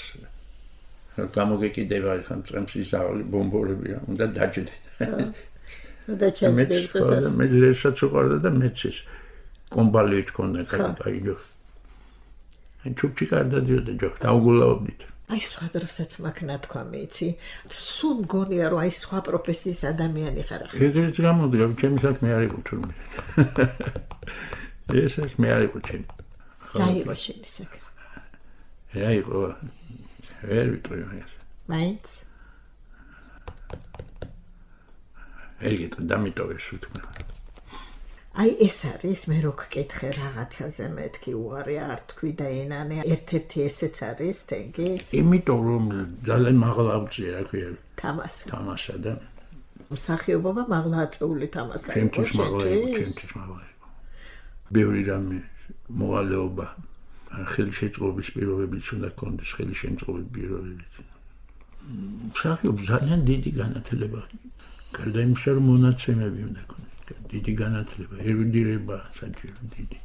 Speaker 3: გამოგეკიდება ხან წემსის ძაღლი ბომბორებია უნდა დაჭდე
Speaker 2: და ჩაჭდე
Speaker 3: მე რესაც უყარა და მეც ის კომბალი თქონდა კაიო ან ჩუბჩიკა არ დადიოდა ჯოხ დაუგულაობდით
Speaker 2: აი სხვა დროსაც მაგ ნათქვამი იცი სულ მგონია რომ აი სხვა პროფესიის ადამიანი ხარ ახლა
Speaker 3: ეგრეც გამოდგა ჩემი საქმე არ იყო თურმე ეს საქმე არ იყო ჩემი
Speaker 2: რა იყო შენი საქმე
Speaker 3: რა იყო ვერ ვიტყვი ეს
Speaker 2: მაინც
Speaker 3: ეგეთ დამიტოვეს თქმა
Speaker 2: აი ეს არის მე რო გკითხე რაღაცაზე მეთქი უარი არ თქვი და ენანე ერთ-ერთი ესეც არის თენგის
Speaker 3: იმიტომ რომ ძალიან მაღლა ავწია რა ქვია
Speaker 2: თამასა
Speaker 3: და
Speaker 2: მსახიობობა მაღლა აწეული თამასა იყო
Speaker 3: ჩემთვის მაღლა იყო ბევრი რამე მოვალეობა ხელშეწყობის პირობებიც უნდა გქონდეს ხელშემწყობის პირობებიც მსახიობს ძალიან დიდი განათლება გარდა იმისა რომ მონაცემები უნდა გქონდეს დიდი განათლება, ერუდირება საჭირო დიდი.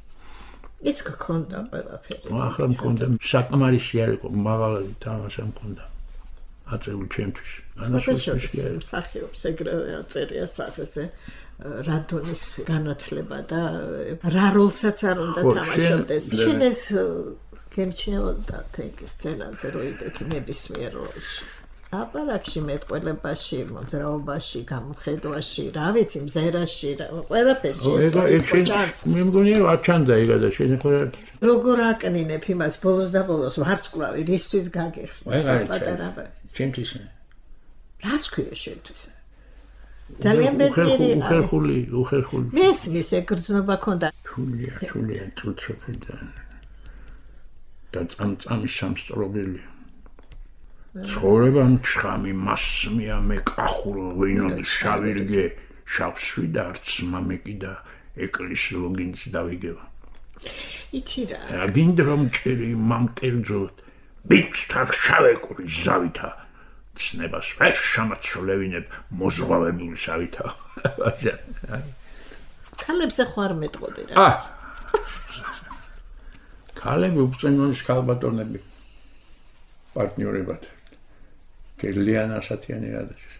Speaker 2: ეს გქონდა ყველაფერი.
Speaker 3: ახლა მქონდა საკმარისი არ იყო, მაღალი თამაში მქონდა. აწეული ჩემთვის.
Speaker 2: მსახიობს ეგრევე აწერია სახეზე რა დონის განათლება და რა როლსაც არ უნდა თამაშობდეს. შენ ეს გემჩნეოდა თენგის სცენაზე რო იდექი ნებისმიერ როლში. აპარაკში მეტყველებაში, მოძრაობაში, გამოხედვაში, რა ვიცი, მზერაში, ყველაფერში ეს
Speaker 3: მე მგონია არ ჩანდა ეგადა შენ ხოლმე
Speaker 2: როგორ აკნინებ იმას ბოლოს და ბოლოს ვარსკვლავი რისთვის გაგეხსნა ეს პატარა
Speaker 3: ჩემთვის
Speaker 2: რას ქვია შენთვის ძალიან მეტი
Speaker 3: უხერხული
Speaker 2: მესმის ეგრძნობა ქონდა
Speaker 3: თულია თუცოფიდა და წამწამი სამსწრობელი ცხოვრება მჩხამი მასმია მე კახურო ვინოდი შავირგე შავსვი და არც მამეკი და ეკლის ლოგინს დავიგება
Speaker 2: იცი რა
Speaker 3: გინდა რომ ჭერი მამკერძოთ ბიჭთან შავეკური ზავითა ცნებას ვერ შემაცვლევინებ მოზღვავებული ზავითა
Speaker 2: ქალებზე ხوار მეტყოდი რა
Speaker 3: ქალები უწენონის ქალბატონები პარტნიორებად გელიანა სათიანი რადაში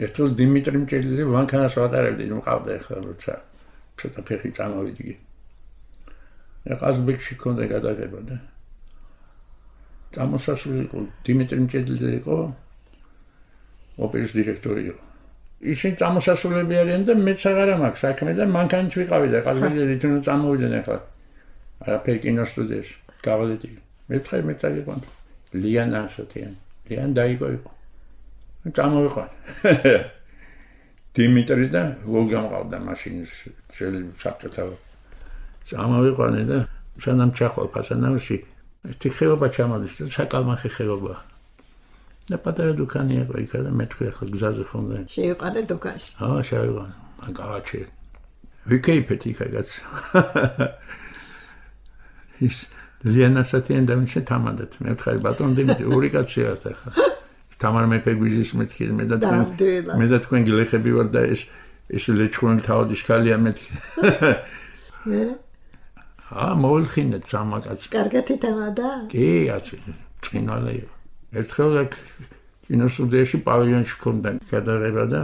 Speaker 3: ერთულ დიმიტრი მჭედლიძე ვანქანას ვატარებდი მყავდა ახლა როცა ცოტა ფეხი წამოვიდგი ყაზბეგში ქონდა გადაღება და წამოსასვლელი იყო დიმიტრი მჭედლიძე იყო ოპერის დირექტორი იყო ისინი წამოსასვლელები არიან და მეც აღარა მაქვს საქმე და მანქანით ვიყავი და ყაზბეგში რითუნ წამოვიდნენ ახლა არაფერი კინოსტუდიაში გავალეთი მეთხარ მეტალიკონ ლიანა სათიანი ლიან დაიგო იყო წამოვიყავ დიმიტრი და ვოგამყავდა მაშინის ძელი საბჭოთა წამოვიყვანე და სანამ ჩახვალ ფასანავში ერთი ხეობა ჩამოდის და საკალმახი ხეობა და პატარა დუქანი იყო იქ და მეთქვი ახლა გზაზე ხონდა
Speaker 2: შეიყარე დუქანში
Speaker 3: შევიყარე მაგალაჩი ვიკეიფეთ იქაც ის ლიანა სათიანი და მაშინ თამანდეთ მე ვთხარი ბატონ დიმიტრი ორი კაცი ართ ახლა თამარ მეფე გვიზის მეთქი მე და თქვენ გილეხები ვარ და ეს ლეჩხუნი თავის ქალია მეთქი მოულხინეთ სამაკაც
Speaker 2: კარგად ითამადა
Speaker 3: კი აცი წინვალე იყო ერთხელ კინოსტუდიაში პავილიონში ქონდა გადაღება და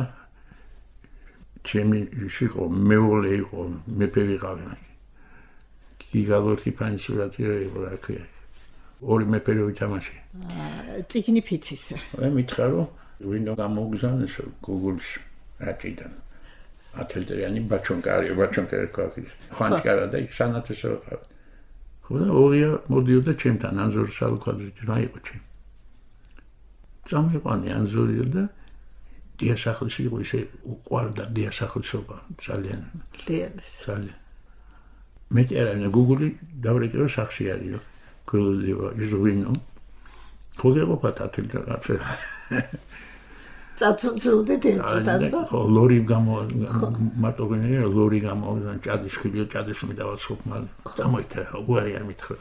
Speaker 3: ჩემი იყო მეუღლე იყო მეფე ვიყავი გიგალოთი პანსიურატი იყო რა ქვია ორი მეფე რო ითამაში
Speaker 2: წიგნი ფიცისა
Speaker 3: მე მითხრა რომ ვინო გამოგზავნეს გუგლში რაჭიდან ათელდრიანი ბაჩონკარი ქვაქის ხანკარა და იქ სანათესო ყავ ხო და ორია მოდიოდა ჩემთან ანზორ სალუკვაძე რა იყო ჩემ წამიყვანი ანზორი და დიასახლისი იყო ისე უყვარდა დიასახლისობა ძალიან ძალიან მეტი არა გუგლი დავრეკეო სახში არისო გულდიო იზვინო ხოძებო პატათილ და რაცე
Speaker 2: წაწუწულდით ერთად
Speaker 3: ხო ლორი მარტოგენია ლორი გამოვიდა ჭადის ხიბიო ჭადის მიდავალ სოფმალ წამოითა უარი არ მითხრა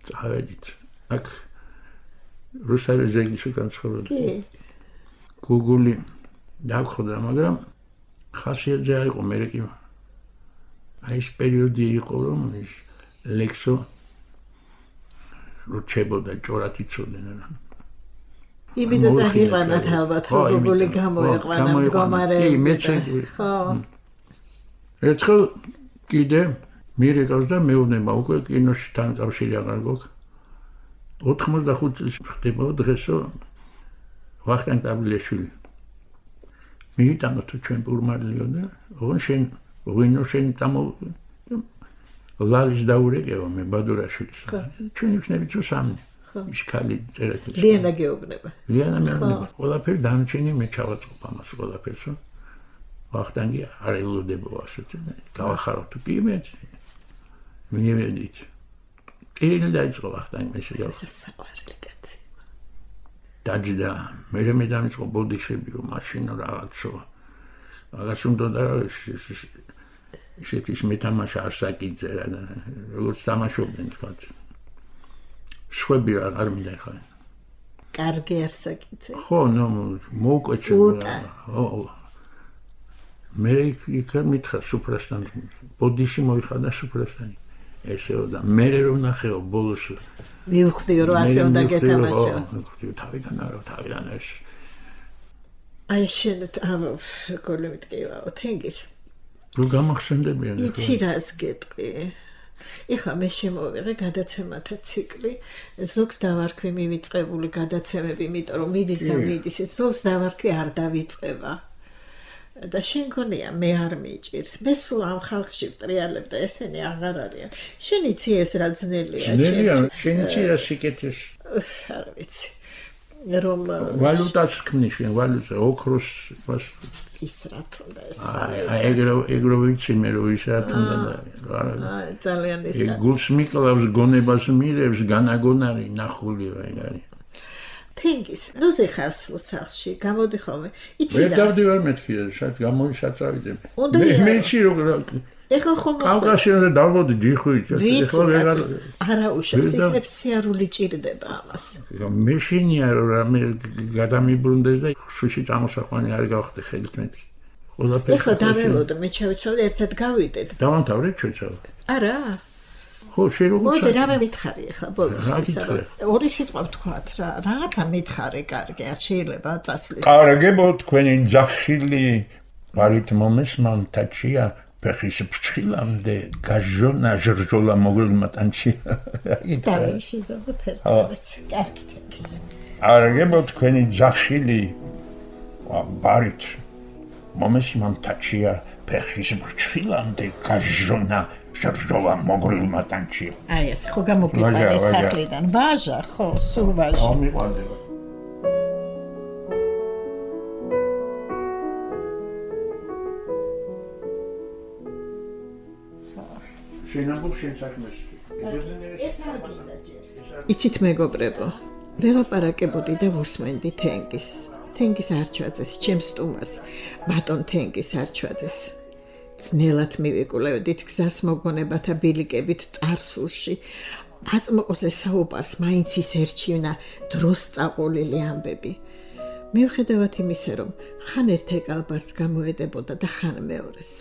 Speaker 3: წავედით აქ რუსთავის ზეგლში განცხოვრობდი
Speaker 2: კი
Speaker 3: გუგული დავხოდა მაგრამ ხასიათზე არ იყო მე კი აი ეს პერიოდი იყო რომ ის ლექსო როჩებოდა ჭორათ იცოდნენ რა
Speaker 2: იმედა წაგიყვანათ ალბათ რომ გუგული გამოეყვანა მდგომარეობა
Speaker 3: კი მეც ხო ერთხელ კიდე მირეკავს და მეუბნება უკვე კინოში თან კავშირი აღარ გვაქვს 85 წლის ხდება დღესო ვახტანგ დაბლიაშვილი მიიტანო თუ ჩვენ პურმალიო და ოღონ შენ ვინო შენ დამო ლალის დაურეკევა მე ბადურაშვილს ჩვენ ვიქნებით თუ სამი ის ხალი წერეთს
Speaker 2: ლიანა გეუბნება
Speaker 3: ლიანა მეუბნება ყველაფერი დამჩენი მე ჩავაწყობ ამას ყველაფერს ვახტანგი არ ელოდებო ასეთ გავახარო თუ კი მე მიემედით კირილი დაიწყო ვახტანგი მე შეიარხა
Speaker 2: საყვარელი კაცი
Speaker 3: დაჯდა მე დამიწყო ბოდიშებიო მაშინო რაღაცო რაღაც უნდა და ისეთი მეთამაშა არ საკითხერა და როგორც თამაშობდნენ თქვა შვები არ მინდა ხა
Speaker 2: კარგი არ საკითხე
Speaker 3: ხო ნუ მოუკვეცე მე იქ მითხრა სუპრასთან ბოდიში მოიხადა სუპრასთან ესეო და მე რომ ნახეო ბოლოს
Speaker 2: მივხვდიო რომ ასე უნდა გეთამაშო
Speaker 3: თავიდან ეს
Speaker 2: აი შენ გოლი მიტკივაო თენგის
Speaker 3: რო გამახსენდებიან
Speaker 2: იცი რას გეტყვი ეხლა მე შემოვიღე გადაცემათა ციკლი ზოგს დავარქვი მივიწყებული გადაცემები იმიტომ რომ მიდის და მიდის ზოგს დავარქვი არ დავიწყება და შენ გონია მე არ მიჭირს მე სულ ამ ხალხში ვტრიალებ და ესენი აღარ არიან შენ იცი ეს რა ძნელია
Speaker 3: შენ იცი რა სიკეთეს
Speaker 2: არ ვიცი რომ
Speaker 3: ვალუტას ქმნის შენ ვალუტა ოქროს
Speaker 2: ის რა თუნდა ეს
Speaker 3: ეგრო ვიცი მე რომ ის რა თუნდა
Speaker 2: ძალიან ის
Speaker 3: გულს მიკლავს გონებას მირევს განაგონარი ნახულია ეგ არის
Speaker 2: თენგის ნუ ზეხარს სახში გამოდი ხოლმე იცი რა
Speaker 3: მე დავდივარ მეთქი შად გამოვისაწავიდები მე იცი რომ
Speaker 2: ეხლა ხომ
Speaker 3: კავკასიონზე დავბოდი ჯიხვით
Speaker 2: ეხლა ვეღარ არა უშავს იქნებ სიარული ჭირდება ამას
Speaker 3: მე შენია რომ მე გადამიბრუნდეს და შუში წამოსაყვანი არ გავხდე ხელით მეთქი ყველაფერი
Speaker 2: ეხლა დაველოდო მე ჩავიცვალე ერთად გავიდეთ
Speaker 3: დავამთავრეთ ჩვენცაო
Speaker 2: არა
Speaker 3: ხო შეიძლება
Speaker 2: მოდი რა მითხარი ეხლა ბოლოსთვის ორი სიტყვა ვთქვათ რა რაღაცა მითხარე კარგი არ შეიძლება წასვლის
Speaker 3: კარგებო თქვენი ძახილი ბარით მომესმან თაჩია ფეხის ფრჩხილამდე გაჟონა ჟრჟოლა მოგლმა ტანჩი
Speaker 2: დაიში და ბუთერცაც კარგი თქოს
Speaker 3: კარგებო თქვენი ძახილი ბარით მომესმან თაჩია ფეხის ფრჩხილამდე გაჟონა ჟრჟოლა მოგლმა ტანჩი
Speaker 2: აი ეს ხო გამოგიყვანე სახლიდან ვაჟა ხო სულ ვაჟა
Speaker 3: ამიყვანდება
Speaker 2: იცით მეგობრებო ველაპარაკებოდი და ვუსმენდი თენგის არჩვაძეს ჩემს სტუმარს ბატონ თენგის არჩვაძეს ძნელად მივიკვლევდით გზას მოგონებათა ბილიკებით წარსულში აწმყოზე საუბარს მაინც ის ერჩივნა დროს წაყოლილი ამბები მიუხედავად იმისა რომ ხან ერთ ეკალბარს გამოედებოდა და ხან მეორეს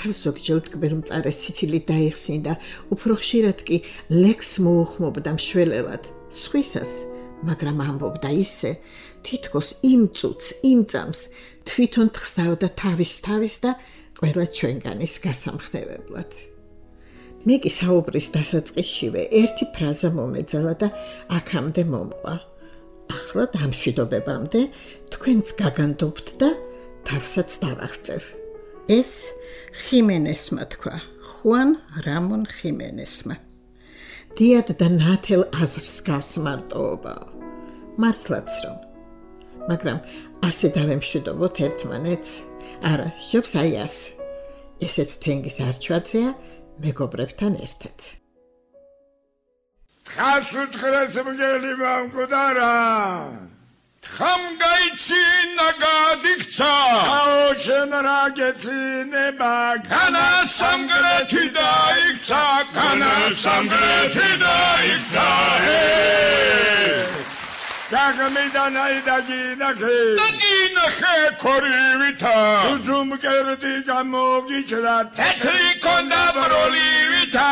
Speaker 2: თავს ზოგჯერ მკბერ-მწარე სიცილით დაიხსნიდა უფრო ხშირად კი ლექს მოუხმობდა მშველელად სხვისას მაგრამ ამბობდა ისე თითქოს იმ წუთს იმ წამს თვითონ თხსავდა თავის და ყველა ჩვენგანის გასამხნევებლად მე კი საუბრის დასაწყისშივე ერთი ფრაზა მომეძალა და აქამდე მომყვა ახლა დამშვიდობებამდე თქვენც გაგანდობთ და თავსაც დავახწევ ეს ხიმენესმა თქვა ხუან რამონ ხიმენესმა დიად და ნათელ აზრს გავს მარტოობაო მართლაც რომ მაგრამ ასე დავემშვიდობოთ ერთმანეთს არა შობს აი ასე ესეც თენგის არჩვაძეა მეგობრებთან ერთად
Speaker 4: თხას უთხრეს მგელი მამკუდარა თხამ გაიცინა გადიქცა ხაოშენ რა გეცინება განა სამგრეთი დაიქცა დაგმიდან აიდაგინახე ქორივითა უზუმკერდი გამოგიჩრა თეთრი კონდა ბროლივითა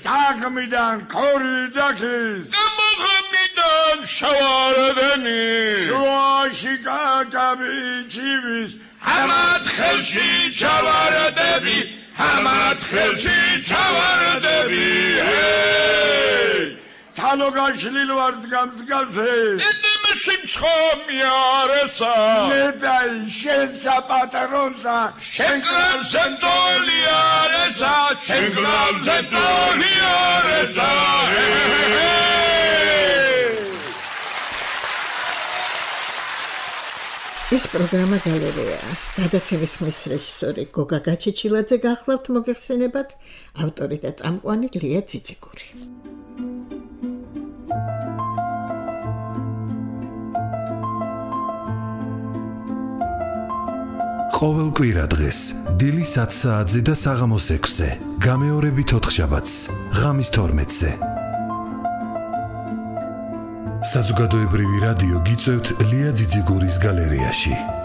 Speaker 4: დაგმიდან ქორიძახის გამოგმიდან შავარდენი შუაში კაკაბი ჩივის ამათ ხელში ჩავარდები ამათ ხელში ჩავარდები თანო გაშლილ ვარს გამსგაზე სიმცხომი არესა ნედაი შენ საპატრონსა შენ კრალზე მძოლი არესა შენ კრალზე მძოლი არესა
Speaker 2: ეს პროგრამა გალერეაა. გადაცემის ხმის რეჟისორი გოგა გაჩეჩილაძე გახლავთ მოგეხსენებათ, ავტორი და წამყვანი ლია ძიძიგური.
Speaker 5: ყოველ კვირა დღეს დილის 10 საათზე და საღამოს 6-ზე, გამეორებით 4 შაბათს, ღამის 12-ზე. საზოგადოებრივი რადიო გიწევთ ლია ძიძიგურის გალერეაში.